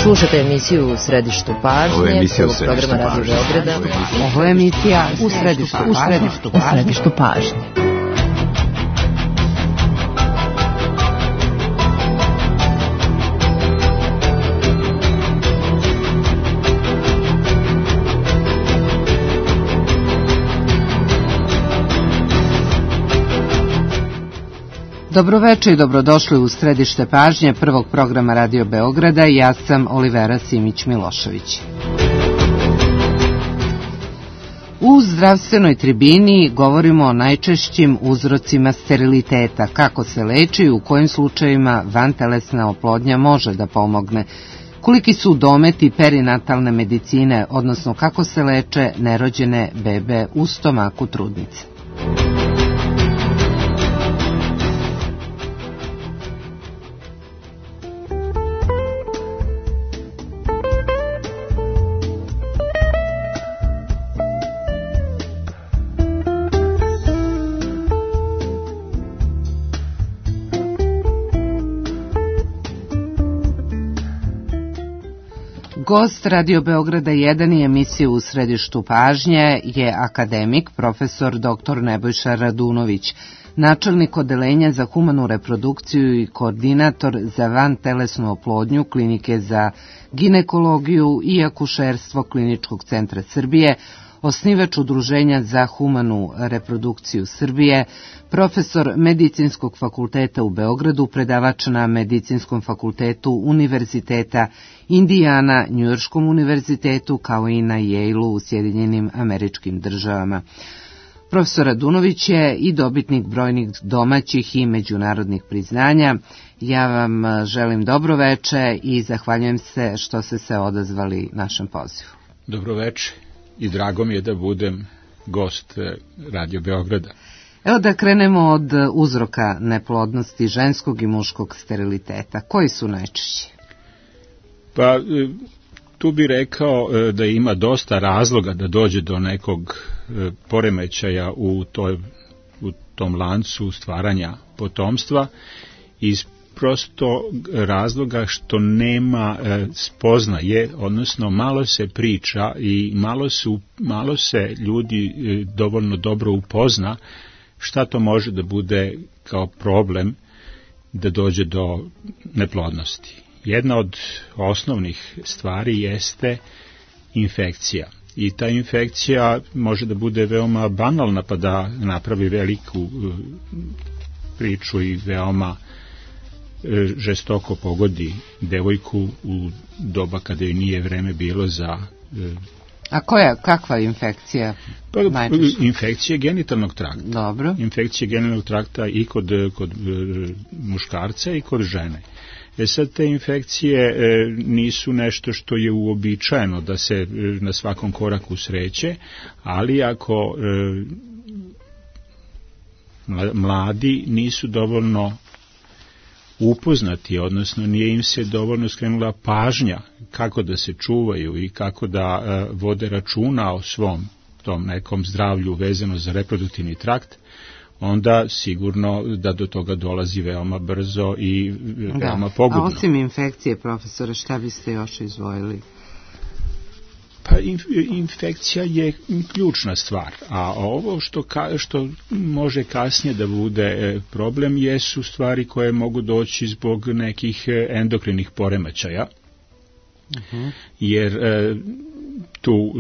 Slušate emisiju U središtu pažnje. Ovo je emisija U središtu pažnje. Ovo je emisija U središtu pažnje. Dobroveče i dobrodošli u središte pažnje prvog programa Radio Beograda. Ja sam Olivera Simić-Milošević. U zdravstvenoj tribini govorimo o najčešćim uzrocima steriliteta, kako se leči i u kojim slučajevima vantelesna oplodnja može da pomogne, koliki su dometi perinatalne medicine, odnosno kako se leče nerođene bebe u stomaku trudnice. Gost Radio Beograda 1 i emisije U središtu pažnje je akademik, profesor dr. Nebojša Radunović, načelnik odeljenja za humanu reprodukciju i koordinator za vantelesnu oplodnju Klinike za ginekologiju i akušerstvo Kliničkog centra Srbije, osnivač Udruženja za humanu reprodukciju Srbije, profesor Medicinskog fakulteta u Beogradu, predavač na Medicinskom fakultetu Univerziteta Indijana, Njujorškom univerzitetu, kao i na Yale-u u Sjedinjenim Američkim Državama. Profesor Radunović je i dobitnik brojnih domaćih i međunarodnih priznanja. Ja vam želim dobro veče i zahvaljujem se što ste se odazvali našem pozivu. Dobro veče i drago mi je da budem gost Radio Beograda. Evo da krenemo od uzroka neplodnosti ženskog i muškog steriliteta. Koji su najčešći? Pa tu bih rekao da ima dosta razloga da dođe do nekog poremećaja u tom lancu stvaranja potomstva iz prosto razloga što nema spoznaje, odnosno malo se priča i malo se ljudi dovoljno dobro upozna šta to može da bude kao problem da dođe do neplodnosti. Jedna od osnovnih stvari jeste infekcija. I ta infekcija može da bude veoma banalna pa da napravi veliku priču i veoma žestoko pogodi devojku u doba kada joj nije vreme bilo za... A kakva infekcija? Infekcija genitalnog trakta. Dobro. Infekcija genitalnog trakta i kod muškarca i kod žene. Sad te infekcije nisu nešto što je uobičajeno da se na svakom koraku sreće, ali ako mladi nisu dovoljno upoznati, odnosno nije im se dovoljno skrenula pažnja kako da se čuvaju i kako da vode računa o svom tom nekom zdravlju vezano za reproduktivni trakt, onda sigurno da do toga dolazi veoma brzo i veoma pogubno. A osim infekcije, profesore, šta biste još izdvojili? Pa infekcija je ključna stvar, a ovo što može kasnije da bude problem jesu stvari koje mogu doći zbog nekih endokrinih poremećaja, jer tu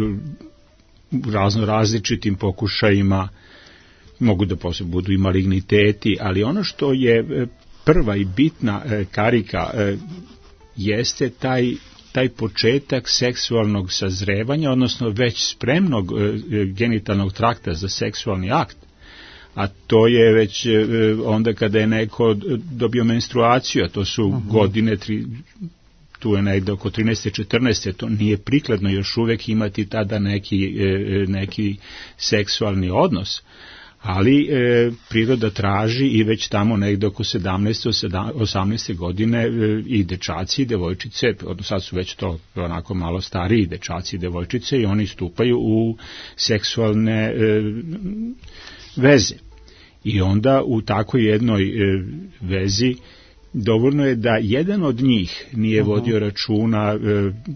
različitim pokušajima mogu da budu i maligniteti, ali ono što je prva i bitna karika jeste taj početak seksualnog sazrevanja, odnosno već spremnog genitalnog trakta za seksualni akt, a to je već onda kada je neko dobio menstruaciju, a to su godine, tu je negde oko 13. 14. to nije prikladno još uvek imati tada neki seksualni odnos, ali priroda traži i već tamo negde oko 17. 18. godine i dečaci i devojčice, odnosno sad su već to onako malo stariji dečaci i devojčice i oni stupaju u seksualne veze. I onda u takoj jednoj vezi dovoljno je da jedan od njih nije vodio računa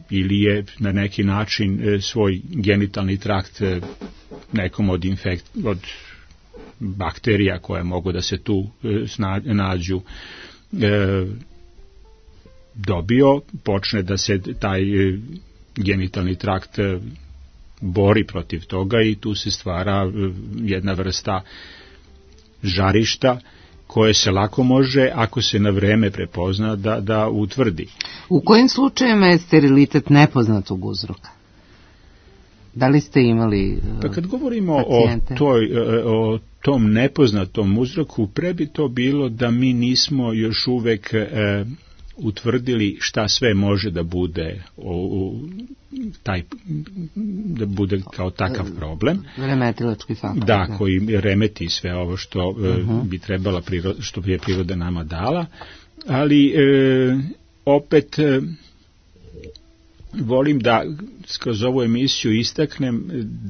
ili je na neki način svoj genitalni trakt nekom od bakterija koje mogu da se tu nađu dobio, počne da se taj genitalni trakt bori protiv toga i tu se stvara jedna vrsta žarišta koje se lako može, ako se na vreme prepozna, da utvrdi. U kojim slučajevima je sterilitet nepoznatog uzroka? Da li ste imali pa kad govorimo pacijente? o tom nepoznatom uzroku, pre bi to bilo da mi nismo još uvek utvrdili šta sve može da bude da bude kao takav problem. Remetilački faktor. Da, koji remeti sve ovo što bi trebala što bi je priroda nama dala, ali opet volim da kroz ovu emisiju istaknem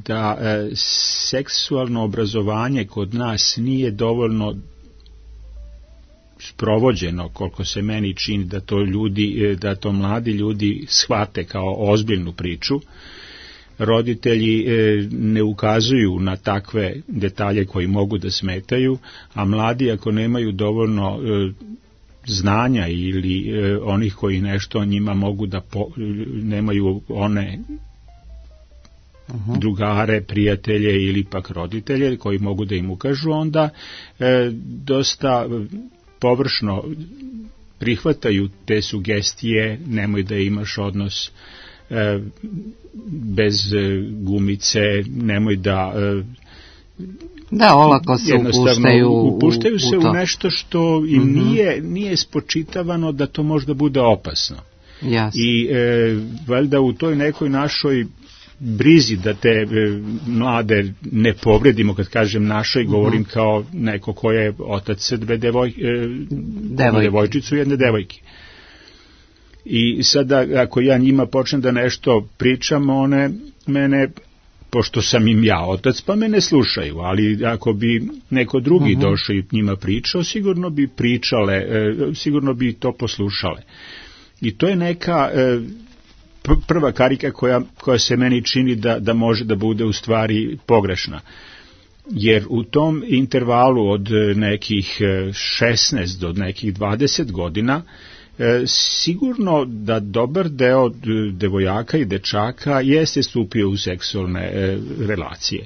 da seksualno obrazovanje kod nas nije dovoljno sprovođeno, koliko se meni čini da to mladi ljudi shvate kao ozbiljnu priču. Roditelji ne ukazuju na takve detalje koji mogu da smetaju, a mladi ako nemaju dovoljno znanja ili onih koji nešto o njima mogu da nemaju one drugare, prijatelje ili pak roditelje koji mogu da im ukažu, onda dosta površno prihvataju te sugestije, nemoj da imaš odnos bez gumice, nemoj da olako se upuštaju se u nešto što im nije spočitavano da to možda bude opasno. Jasne. I valjda u toj nekoj našoj brizi da te mlade ne povredimo, kad kažem našoj, govorim kao neko ko je otac dve devojčicu i jedne devojke. I sada ako ja njima počnem da nešto pričam, one mene, pošto sam im ja otac, pa me ne slušaju, ali ako bi neko drugi došao i njima pričao, sigurno bi pričale, sigurno bi to poslušale. I to je neka prva karika koja se meni čini da može da bude u stvari pogrešna. Jer u tom intervalu od nekih 16 do nekih 20 godina sigurno da dobar deo devojaka i dečaka jeste stupio u seksualne relacije.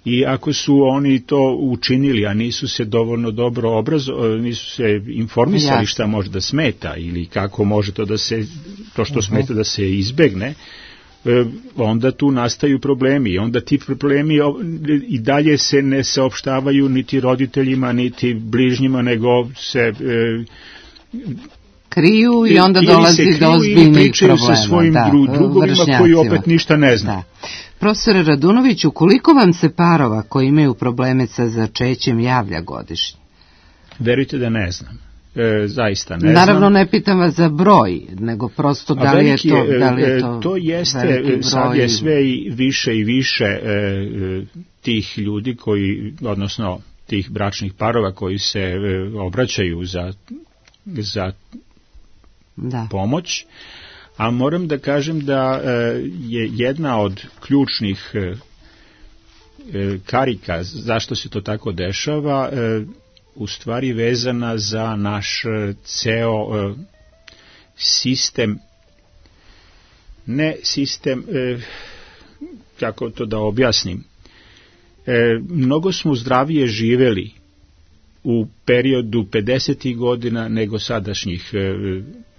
I ako su oni to učinili, a nisu se dovoljno dobro nisu se informisali šta može da smeta ili kako može to što smeta da se izbegne, onda tu nastaju problemi. I onda ti problemi i dalje se ne saopštavaju niti roditeljima, niti bližnjima, nego se kriju i onda dolazi do ozbiljnih problema. Sa svojim drugovima koji opet ništa ne zna. Profesore Radunoviću, koliko vam se parova koji imaju probleme sa začećem javlja godišnje? Verujte da ne znam. Zaista ne znam. Naravno ne pitam vas za broj, nego prosto da li je to to jeste, sad je sve i više tih ljudi odnosno tih bračnih parova koji se obraćaju za pomoć, a moram da kažem da je jedna od ključnih karika zašto se to tako dešava u stvari vezana za naš ceo sistem, kako to da objasnim, mnogo smo zdravije živeli u periodu 50. godina nego sadašnjih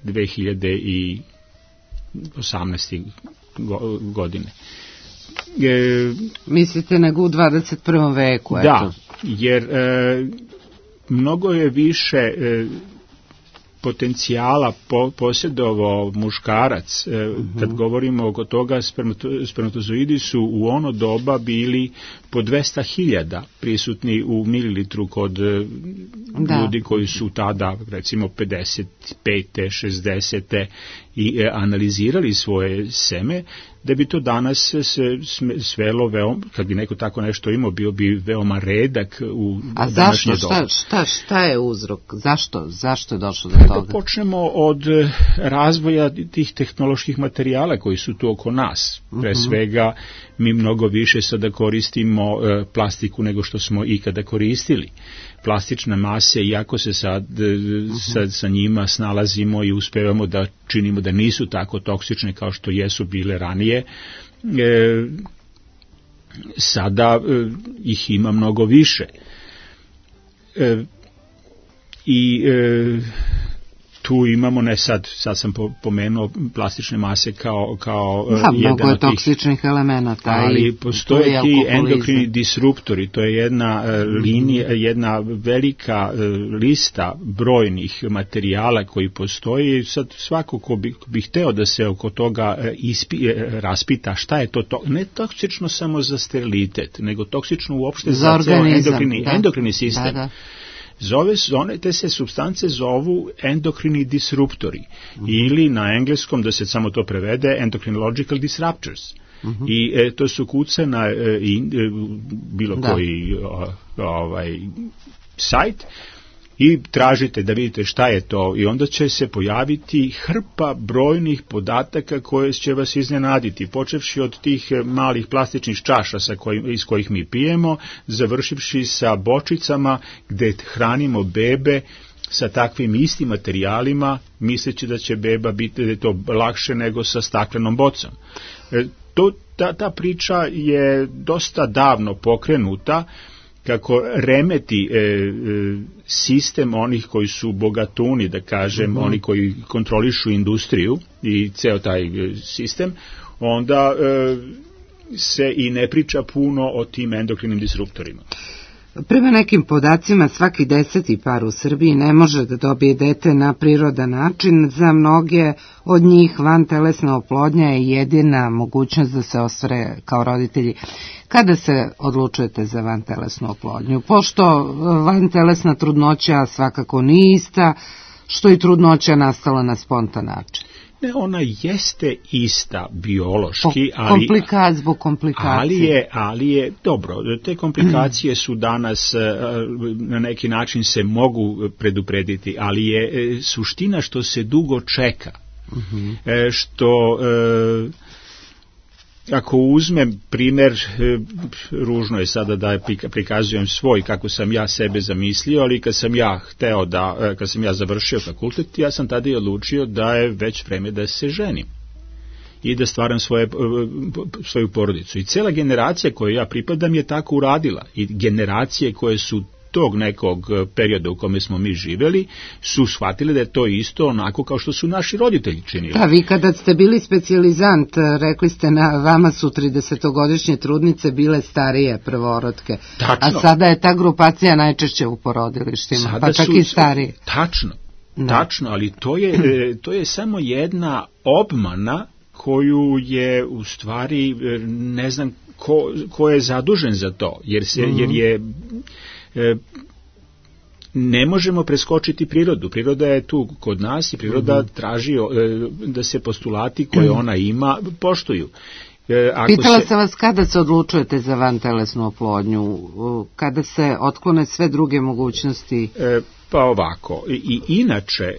2018. godine. Mislite nego u 21. veku? Da, jer mnogo je više potencijala posjedovao muškarac. Kad govorimo oko toga, spermatozoidi su u ono doba bili po 200.000 prisutni u mililitru kod ljudi koji su tada, recimo 55. 60. i analizirali svoje seme. da bi to danas se svelo veoma, kad bi neko tako nešto imao, bio bi veoma redak u današnje doba. A šta je uzrok? Zašto je došlo do toga? Da počnemo od razvoja tih tehnoloških materijala koji su tu oko nas. Pre svega, mi mnogo više sada koristimo plastiku nego što smo ikada koristili. Plastične mase, iako se sad sa njima snalazimo i uspevamo da činimo da nisu tako toksične kao što jesu bile ranije, sada ih ima mnogo više. Tu imamo, ne sad sam pomenuo plastične mase kao jedan mnogo je toksičnih elemenata. Ali postoje ti endokrini disruptori, to je jedna linija, jedna velika lista brojnih materijala koji postoji. Sad svako ko bi hteo da se oko toga raspita šta je to, ne toksično samo za sterilitet, nego toksično uopšte za ceo endokrini sistem. Da. Te se supstance zovu endokrini disruptori ili na engleskom, da se samo to prevede, endocrinological disruptors. I to su kuca na bilo koji sajt i tražite da vidite šta je to i onda će se pojaviti hrpa brojnih podataka koje će vas iznenaditi, počevši od tih malih plastičnih čaša iz kojih mi pijemo, završivši sa bočicama gde hranimo bebe sa takvim istim materijalima, misleći da će beba biti da je to lakše nego sa staklenom bocom. Ta priča je dosta davno pokrenuta, kako remeti sistem onih koji su bogatuni, da kažem, oni koji kontrolišu industriju i ceo taj sistem, onda se i ne priča puno o tim endokrinim disruptorima. Prema nekim podacima, svaki 10. par u Srbiji ne može da dobije dete na prirodan način. Za mnoge od njih vantelesna oplodnja je jedina mogućnost da se ostvare kao roditelji. Kada se odlučujete za vantelesnu oplodnju? Pošto vantelesna trudnoća svakako nije ista, što i trudnoća nastala na spontan način. Ne, ona jeste ista biološki, zbog komplikacije. Ali je dobro, te komplikacije su danas na neki način se mogu preduprediti, ali je suština što se dugo čeka. Što ako uzmem primer, ružno je sada da prikazujem svoj kako sam ja sebe zamislio, ali kad sam ja završio fakultet, ja sam tada i odlučio da je već vreme da se ženim i da stvaram svoju porodicu. I cela generacija kojoj ja pripadam je tako uradila. I generacije koje su tog nekog perioda u kome smo mi živeli su shvatili da je to isto onako kao što su naši roditelji činili. Da, vi kada ste bili specijalizant, rekli ste na vama su 30-godišnje trudnice bile starije prvorodke. Tačno. A sada je ta grupacija najčešće u porodilištima, sada pa čak i starije. Tačno, ali to je samo jedna obmana koju je u stvari ne znam ko je zadužen za to, jer je ne možemo preskočiti prirodu. Priroda je tu kod nas i priroda traži da se postulati koje ona ima poštuju. Pitala sam vas kada se odlučujete za vantelesnu oplodnju, kada se otklone sve druge mogućnosti? Pa ovako, i inače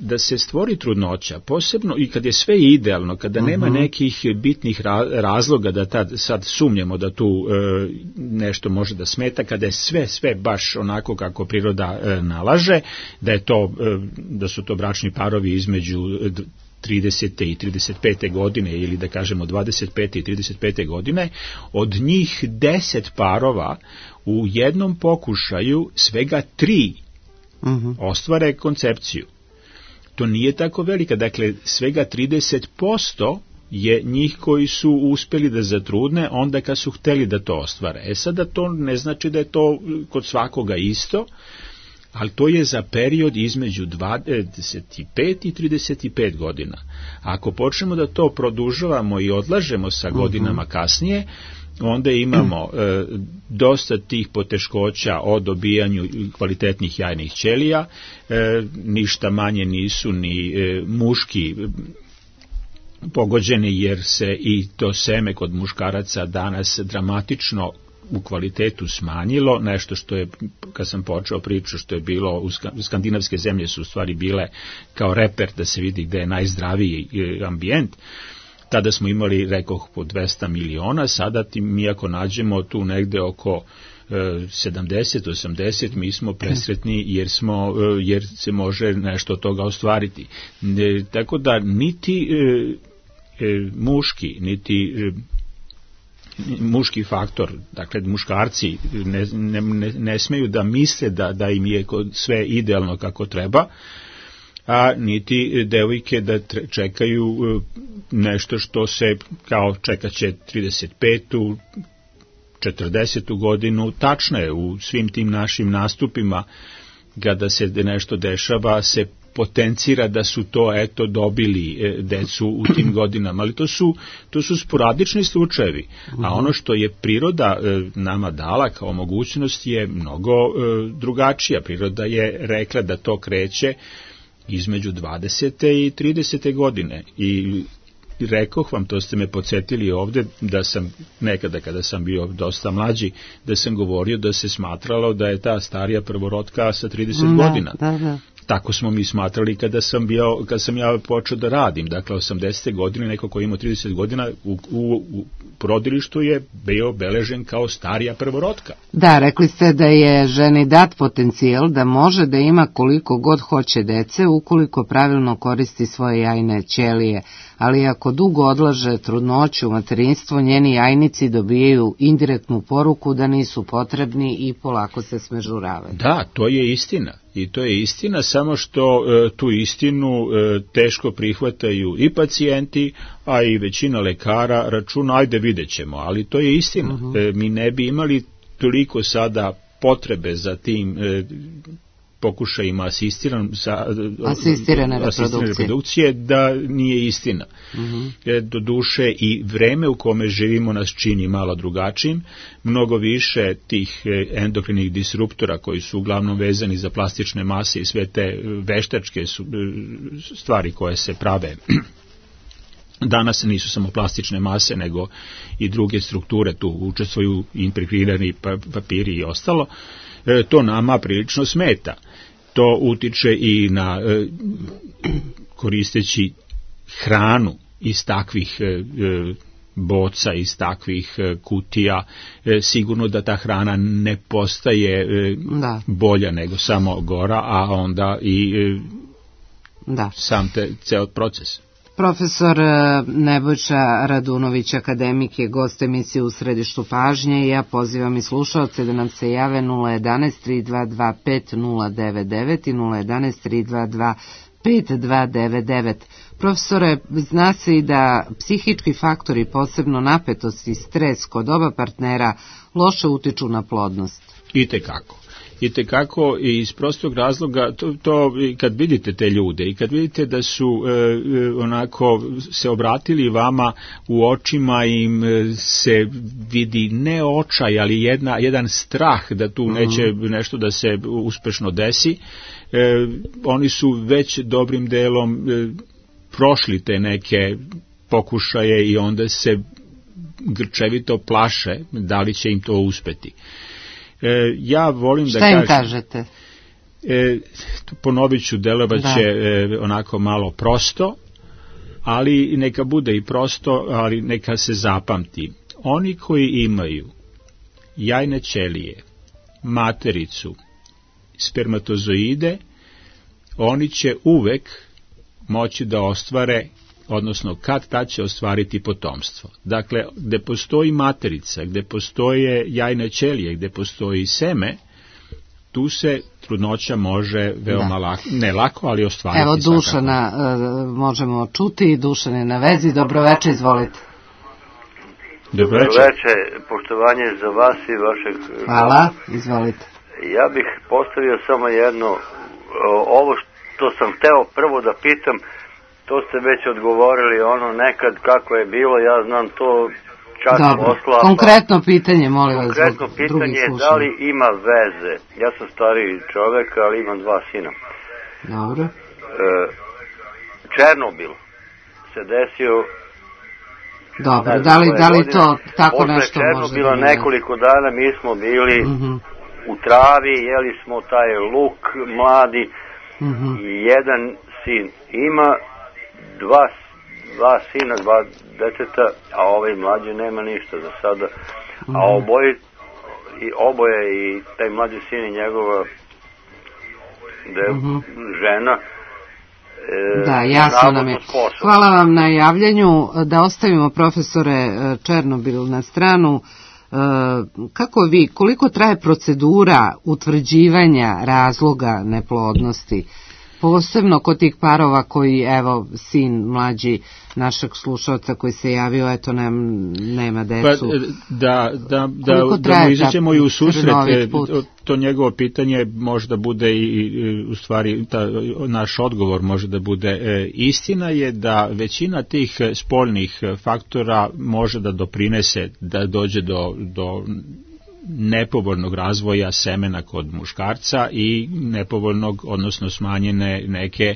da se stvori trudnoća, posebno i kad je sve idealno, kada nema nekih bitnih razloga da sad sumnjamo da tu nešto može da smeta, kada je sve baš onako kako priroda nalaže, da su to bračni parovi između 30. i 35. godine ili da kažemo 25. i 35. godine, od njih 10 parova u jednom pokušaju svega 3 ostvare koncepciju. To nije tako velika, dakle svega 30% je njih koji su uspeli da zatrudne onda kad su hteli da to ostvare. Sada to ne znači da je to kod svakoga isto, ali to je za period između 25 i 35 godina. Ako počnemo da to produžavamo i odlažemo sa godinama kasnije, onda imamo dosta tih poteškoća o dobijanju kvalitetnih jajnih ćelija, ništa manje nisu ni muški pogođeni jer se i to seme kod muškaraca danas dramatično u kvalitetu smanjilo, nešto što je, kad sam počeo priču, što je bilo, skandinavske zemlje su u stvari bile kao reper da se vidi gde je najzdraviji ambijent. Tada smo imali, rekoh, po 200 miliona, sada mi ako nađemo tu negde oko 70-80, mi smo presretni jer se može nešto od toga ostvariti. Tako da niti muški faktor, dakle muškarci ne smeju da misle da im je sve idealno kako treba, a niti devojke da čekaju nešto što se kao čekat će 35. 40. godinu. Tačno je, u svim tim našim nastupima kada se nešto dešava se potencira da su to dobili decu u tim godinama, ali to su sporadični slučajevi, a ono što je priroda nama dala kao mogućnost je mnogo drugačija. Priroda je rekla da to kreće između 20. i 30. godine i rekoh vam, to ste me podsjetili ovde, da sam nekada kada sam bio dosta mlađi, da sam govorio da se smatralo da je ta starija prvorotka sa 30 godina. Da. Tako smo mi smatrali kada sam ja počeo da radim. Dakle, 80. godine, neko ko ima 30 godina u porodilištu je bio obeležen kao starija prvorotka. Da, rekli ste da je ženi dat potencijal da može da ima koliko god hoće dece ukoliko pravilno koristi svoje jajne ćelije, ali ako dugo odlaže trudnoću, materinstvo, njeni jajnici dobijaju indirektnu poruku da nisu potrebni i polako se smežuravaju. Da, to je istina. I to je istina, samo što tu istinu teško prihvataju i pacijenti, a i većina lekara računa, ajde vidjet ćemo, ali to je istina. Mi ne bi toliko sada potrebe za tim pokušajima asistirane reprodukcije da nije istina. Doduše i vreme u kome živimo nas čini malo drugačijim, mnogo više tih endokrinih disruptora koji su uglavnom vezani za plastične mase i sve te veštačke stvari koje se prave. Danas nisu samo plastične mase, nego i druge strukture, tu učestvuju impregrirani papiri i ostalo. To nama prilično smeta. To utiče i na koristeći hranu iz takvih boca, iz takvih kutija, sigurno da ta hrana ne postaje bolja nego samo gora, a onda i sam ceo proces. Profesor Nebojša Radunović, akademik, je gost emisije U središtu pažnje i ja pozivam i slušaoce da nam se jave 011-3225-099 i 011-322-5299. Profesore, zna se i da psihički faktori, posebno napetost i stres kod oba partnera, loše utiču na plodnost. Itekako iz prostog razloga, to kad vidite te ljude i kad vidite da su onako se obratili vama u očima, im se vidi ne očaj, ali jedan strah da tu neće nešto da se uspešno desi, oni su već dobrim delom prošli te neke pokušaje i onda se grčevito plaše da li će im to uspeti. Ja volim da kažem... Šta im kažete? Ponovit ću, delovat će onako malo prosto, ali neka bude i prosto, ali neka se zapamti. Oni koji imaju jajne ćelije, matericu, spermatozoide, oni će uvek moći da ostvare, odnosno kad će ostvariti potomstvo. Dakle, gde postoji materica, gde postoje jajne ćelije, gde postoji seme, tu se trudnoća može veoma lako, ne lako, ali ostvariti. Evo, Dušana možemo čuti, Dušan je na vezi, dobroveče, izvolite. Dobroveče, poštovanje za vas i vašeg... Hvala, izvolite. Ja bih postavio samo jedno, ovo što sam hteo prvo da pitam, to ste već odgovorili, ono nekad kako je bilo, ja znam to čak posla. Konkretno pitanje, molim vas. Konkretno pitanje je da li ima veze. Ja sam stariji čovek, ali imam 2 sina. Dobro. Černobil se desio. Dobro, da li to tako nešto može? Posle Černobila nekoliko dana mi smo bili u travi, jeli smo taj luk mladi i jedan sin ima, dva sina, dva deteta, a ovaj mlađi nema ništa za sada. A oboje i taj mlađi sin i njegova žena. Da, jasno nam je. Hvala vam na javljanju. Da ostavimo profesore Černobil na stranu. Koliko traje procedura utvrđivanja razloga neplodnosti? Posebno kod tih parova koji, evo, sin mlađi našeg slušalca koji se javio, eto, nema decu. Da mu izaćemo i u susret, to njegovo pitanje možda bude i u stvari naš odgovor može da bude. Istina je da većina tih spoljnih faktora može da doprinese da dođe do nepovoljnog razvoja semena kod muškarca i nepovoljnog, odnosno smanjene neke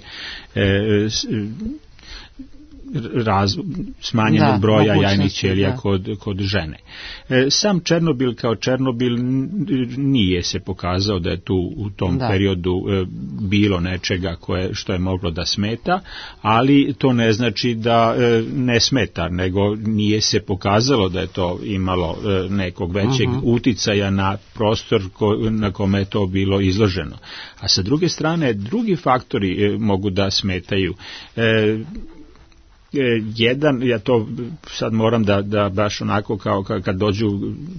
smanjenog broja jajnih ćelija kod žene. Sam Černobil kao Černobil nije se pokazao da je tu u tom periodu bilo nečega što je moglo da smeta, ali to ne znači da ne smeta, nego nije se pokazalo da je to imalo nekog većeg uticaja na prostor na kome je to bilo izloženo. A sa druge strane, drugi faktori mogu da smetaju. Jedan, ja to sad moram da baš onako kao kad dođu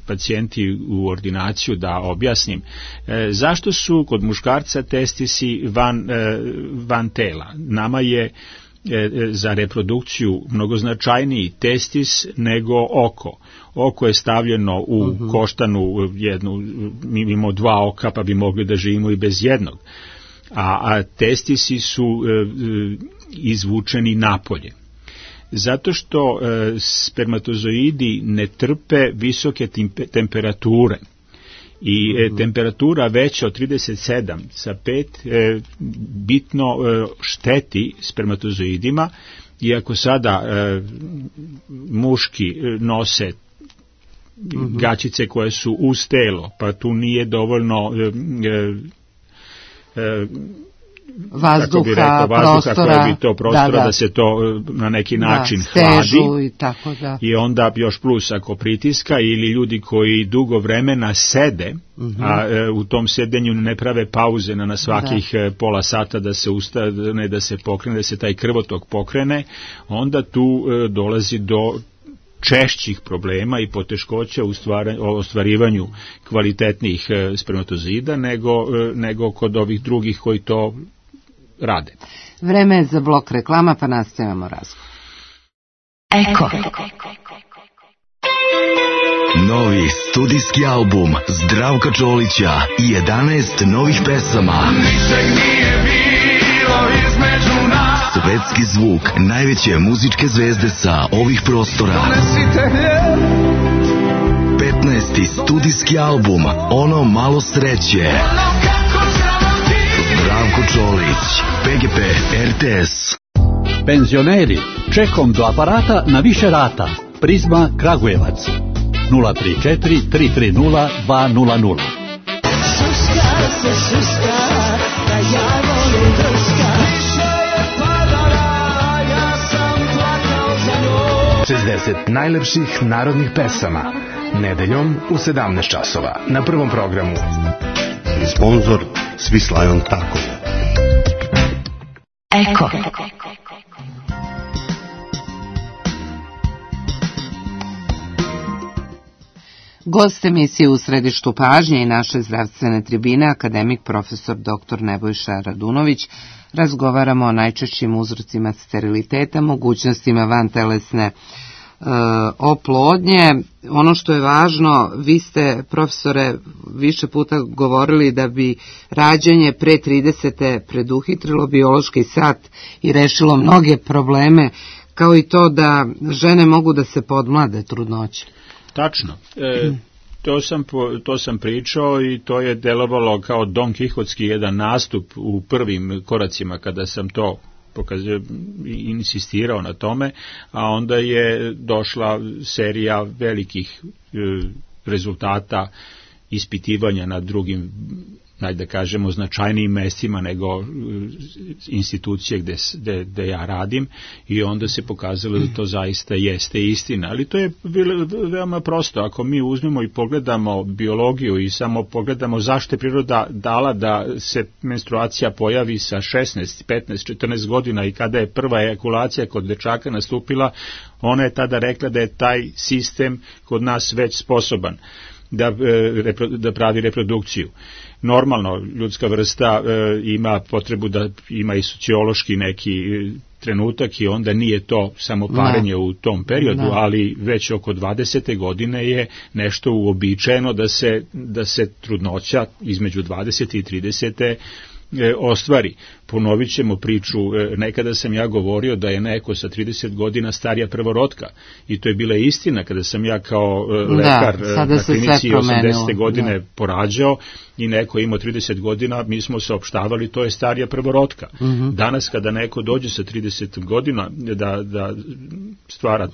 pacijenti u ordinaciju da objasnim, zašto su kod muškarca testisi van tela. Nama je za reprodukciju mnogo značajniji testis nego oko. Oko je stavljeno u koštanu jednu, mi imamo dva oka pa bi mogli da živimo i bez jednog. A testisi su izvučeni napolje. Zato što spermatozoidi ne trpe visoke temperature i temperatura veća od 37,5 bitno šteti spermatozoidima, iako sada muški nose gaćice koje su uz telo, pa tu nije dovoljno vazduha, prostora, da se to na neki način hladi i tako da. I onda još plus ako pritiska ili ljudi koji dugo vremena sede, a u tom sedenju ne prave pauze na svakih pola sata da se ustane, da se pokrene, da se taj krvotok pokrene, onda tu dolazi do češćih problema i poteškoća u ostvarivanju kvalitetnih spermatozida nego kod ovih drugih koji to rade. Vreme je za blok reklama, pa nastavljamo razgovor. Eko. Novi studijski album Zdravka Čolića i 11 novih pesama. Ničeg nije bilo između nas. Svetski zvuk najveće muzičke zvezde sa ovih prostora. 15. studijski album Ono malo sreće. Zdravko Čolić, PGP RTS. Penzioneri, čekom do aparata na više rata. Prizma Kragujevac 034 330 200. Šuška se šuška, da ja volim drška. Ja sam plakao za njoj. 60 najlepših narodnih pesama. Nedeljom u 17 časova. Na Prvom programu. I sponsor Svislajon Tako. Eko. Gost emisije U središtu pažnje i naše zdravstvene tribine, akademik profesor dr. Nebojša Radunović. Razgovaramo o najčešćim uzrocima steriliteta, mogućnostima vantelesne oplodnje. Ono što je važno, vi ste, profesore, više puta govorili da bi rađanje pre 30. preduhitrilo biološki sat i rešilo mnoge probleme, kao i to da žene mogu da se podmlade trudnoće. Tačno. To sam pričao i to je delovalo kao Don Kihotski jedan nastup u prvim koracima kada sam to insistirao na tome, a onda je došla serija velikih rezultata ispitivanja na drugim, da kažemo, značajnijim mestima nego institucije gde ja radim, i onda se pokazalo da to zaista jeste istina. Ali to je veoma prosto. Ako mi uzmemo i pogledamo biologiju i samo pogledamo zašto je priroda dala da se menstruacija pojavi sa 16, 15, 14 godina i kada je prva ejakulacija kod dečaka nastupila, ona je tada rekla da je taj sistem kod nas već sposoban da pravi reprodukciju. Normalno, ljudska vrsta ima potrebu da ima i sociološki neki trenutak i onda nije to samo parenje u tom periodu, ali već oko 20. godine je nešto uobičajeno da se trudnoća između 20. i 30. ostvari. Ponovit ćemo priču, nekada sam ja govorio da je neko sa 30 godina starija prvorotka, i to je bila istina kada sam ja kao lekar na klinici 80. godine porađao i neko imao 30 godina, mi smo saopštavali to je starija prvorotka. Danas kada neko dođe sa 30 godina da stvara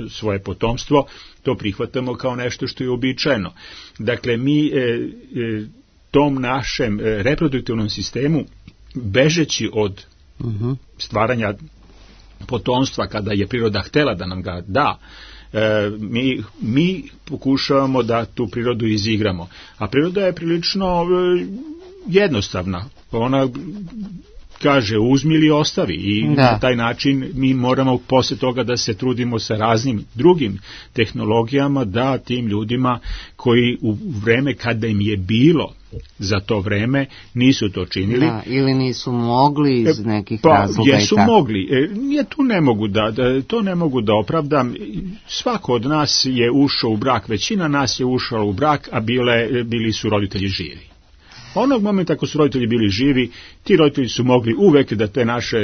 svoje potomstvo, to prihvatamo kao nešto što je uobičajeno. Dakle, mi tom našem reproduktivnom sistemu, bežeći od stvaranja potomstva kada je priroda htela da nam ga da, mi pokušavamo da tu prirodu izigramo. A priroda je prilično jednostavna. Ona kaže uzmi ili ostavi i na taj način mi moramo posle toga da se trudimo sa raznim drugim tehnologijama da tim ljudima koji u vreme kada im je bilo za to vreme nisu to činili. Ili nisu mogli iz nekih razloga. Jesu mogli. To ne mogu da opravdam. Svako od nas je ušao u brak, većina nas je ušao u brak, a bili su roditelji živi. Onog momenta ako su roditelji bili živi, ti roditelji su mogli uvek da te naše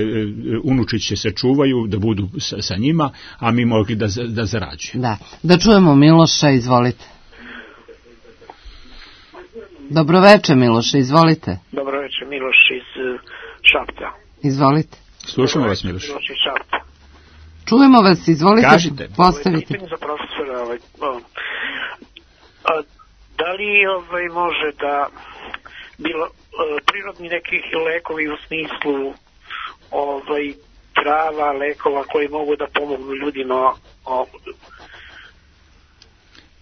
unučiće se čuvaju, da budu sa njima, a mi mogli da zarađuju. Da čujemo Miloša, izvolite. Dobroveče, Miloše, izvolite. Dobroveče, Miloš iz Šapca. Izvolite. Slušamo vas, Miloš. Miloš iz Šapca. Čujemo vas, izvolite. Kažite. Postavite. Pitanje za profesora. Da li može da bilo prirodni nekih lekovi u smislu trava, lekova koji mogu da pomognu ljudima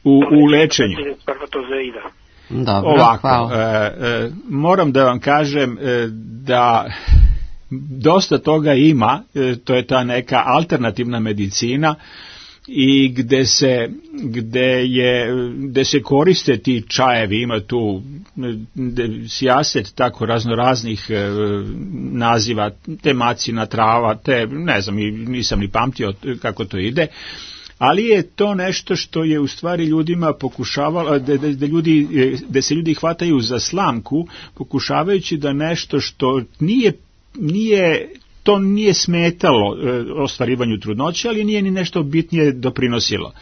u lečenju spermatozoida? Dobro, ovako, moram da vam kažem da dosta toga ima, to je ta neka alternativna medicina i gde se koriste ti čajevi, ima tu sijaset tako raznoraznih naziva, te macina trava, te ne znam, nisam ni pamtio kako to ide, ali je to nešto što je u stvari ljudima pokušavalo, da se ljudi hvataju za slamku, pokušavajući da nešto što to nije smetalo ostvarivanju trudnoće, ali nije ni nešto bitnije doprinosilo.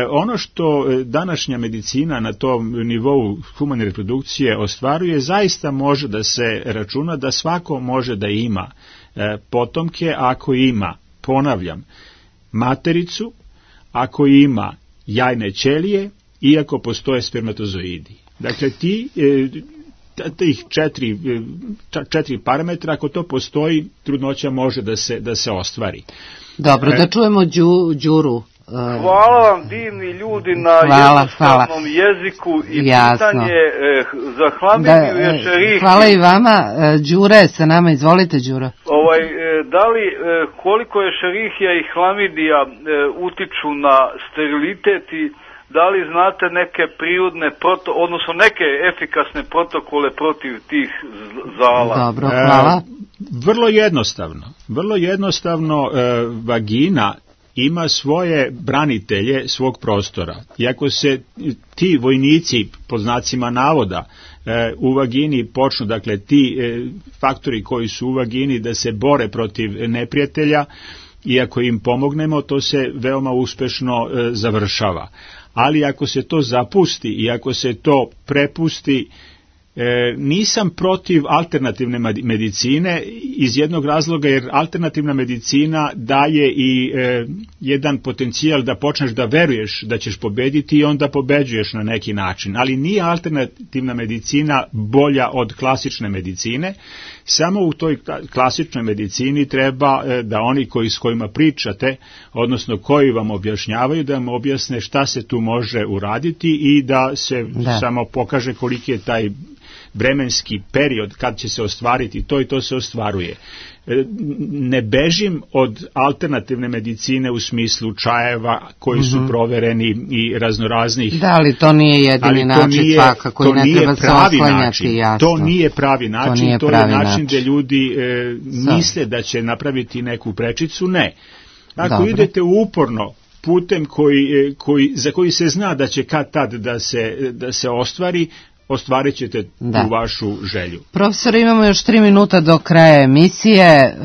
Ono što današnja medicina na tom nivou humane reprodukcije ostvaruje, zaista može da se računa da svako može da ima potomke ako ima, ponavljam, matericu, ako ima jajne ćelije i ako postoje spermatozoidi. Dakle, tih četiri parametra, ako to postoji, trudnoća može da se ostvari. Dobro, da čujemo Đuru. Hvala vam, divni ljudi, na jednostavnom jeziku i pitanje za hlamidiju i šerihiju. Hvala i vama. Đure sa nama, izvolite, Đuro. Da li, koliko je šerihija i hlamidija utiču na sterilitet i da li znate neke prirodne, odnosno neke efikasne protokole protiv tih zala? Dobro, hvala. Vrlo jednostavno, vagina ima svoje branitelje svog prostora. I ako se ti vojnici, pod znacima navoda, u vagini počnu, dakle ti faktori koji su u vagini da se bore protiv neprijatelja, i ako im pomognemo, to se veoma uspešno završava. Ali ako se to zapusti i ako se to prepusti Nisam protiv alternativne medicine iz jednog razloga, jer alternativna medicina daje i jedan potencijal da počneš da veruješ da ćeš pobediti i onda pobeđuješ na neki način, ali nije alternativna medicina bolja od klasične medicine. Samo u toj klasičnoj medicini treba da oni s kojima pričate, odnosno koji vam objašnjavaju, da vam objasne šta se tu može uraditi i da se samo pokaže koliki je taj vremenski period kad će se ostvariti to i to se ostvaruje. Ne bežim od alternativne medicine u smislu čajeva koji su provereni i raznoraznih. Da, ali to nije jedini način svakako i ne treba se oslanjati, jasno. To nije pravi način, to je način gdje ljudi misle da će napraviti neku prečicu, ne. Ako idete uporno putem za koji se zna da će kad tad da se ostvarit ćete tu vašu želju. Profesor, imamo još 3 minuta do kraja emisije,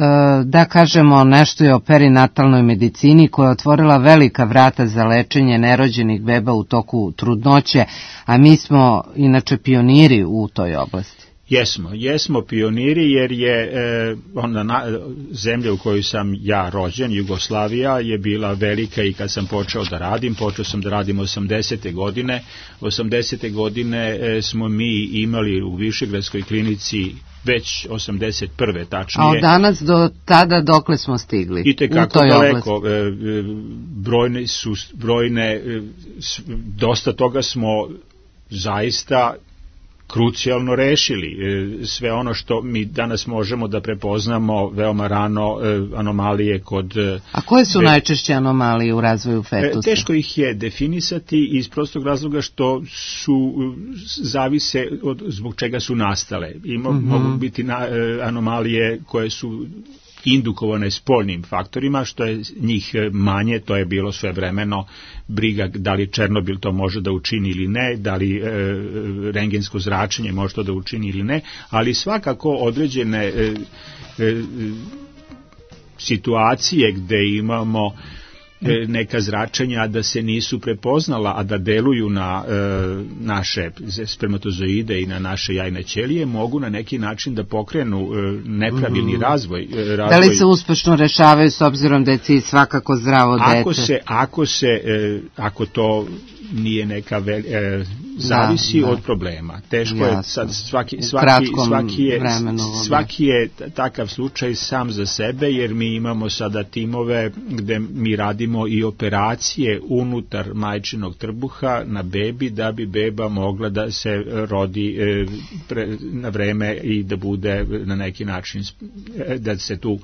da kažemo nešto i o perinatalnoj medicini koja je otvorila velika vrata za lečenje nerođenih beba u toku trudnoće, a mi smo inače pioniri u toj oblasti. Jesmo pioniri, jer je zemlja u kojoj sam ja rođen, Jugoslavija, je bila velika i kad sam počeo sam da radim 80. godine. 80. godine smo mi imali u Višegradskoj klinici već 81. tačnije. A od danas do tada dokle smo stigli? I tekako daleko. Dosta toga smo zaista krucijalno rešili. Sve ono što mi danas možemo da prepoznamo veoma rano, anomalije kod... A koje su najčešće anomalije u razvoju fetusa? Teško ih je definisati iz prostog razloga što zavise od zbog čega su nastale. Mogu biti anomalije koje su indukovane spoljnim faktorima, što je njih manje, to je bilo svevremeno briga da li Černobil to može da učini ili ne, da li rentgensko zračenje može to da učini ili ne, ali svakako određene situacije gde imamo neka zračenja da se nisu prepoznala, a da deluju na naše spermatozoide i na naše jajne ćelije, mogu na neki način da pokrenu nepravilni razvoj. Da li se uspešno rešavaju s obzirom da je cilj svakako zdravo dete? Ako to nije neka zavisi od problema. Teško je sad svaki je takav slučaj sam za sebe, jer mi imamo sada timove gde mi radimo i operacije unutar majčinog trbuha na bebi, da bi beba mogla da se rodi na vreme i da bude na neki način, da se tu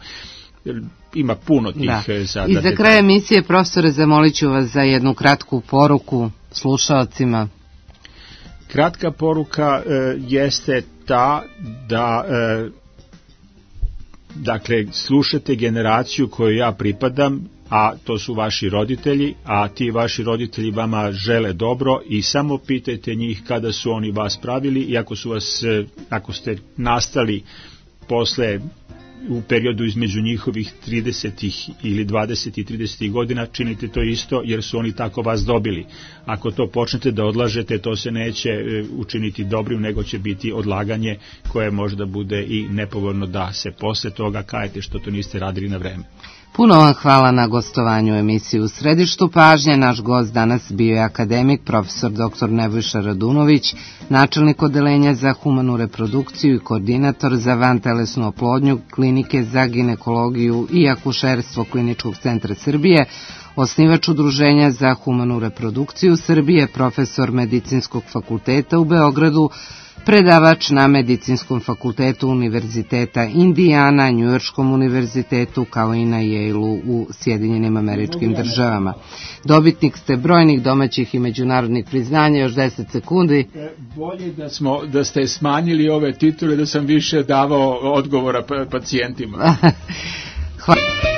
ima puno tih sada. I za kraj emisije, profesore, zamolit ću vas za jednu kratku poruku slušalcima. Kratka poruka jeste ta da dakle slušate generaciju koju ja pripadam, a to su vaši roditelji, a ti vaši roditelji vama žele dobro i samo pitajte njih kada su oni vas pravili, i ako ste nastali posle u periodu između njihovih 30. ili 20. i 30. godina, činite to isto, jer su oni tako vas dobili. Ako to počnete da odlažete, to se neće učiniti dobrim, nego će biti odlaganje koje možda bude i nepovoljno da se posle toga kajete što to niste radili na vreme. Puno vam hvala na gostovanju u emisiji U središtu pažnje. Naš gost danas bio je akademik, profesor dr. Nebojša Radunović, načelnik odeljenja za humanu reprodukciju i koordinator za vantelesnu oplodnju Klinike za ginekologiju i akušerstvo Kliničkog centra Srbije, osnivač Udruženja za humanu reprodukciju Srbije, profesor Medicinskog fakulteta u Beogradu, predavač na Medicinskom fakultetu Univerziteta Indijana, Njujorškom univerzitetu, kao i na Yale-u u Sjedinjenim Američkim Državama. Dobitnik ste brojnih domaćih i međunarodnih priznanja. Još 10 sekundi. Bolje da ste smanjili ove titule, da sam više davao odgovora pacijentima. Hvala.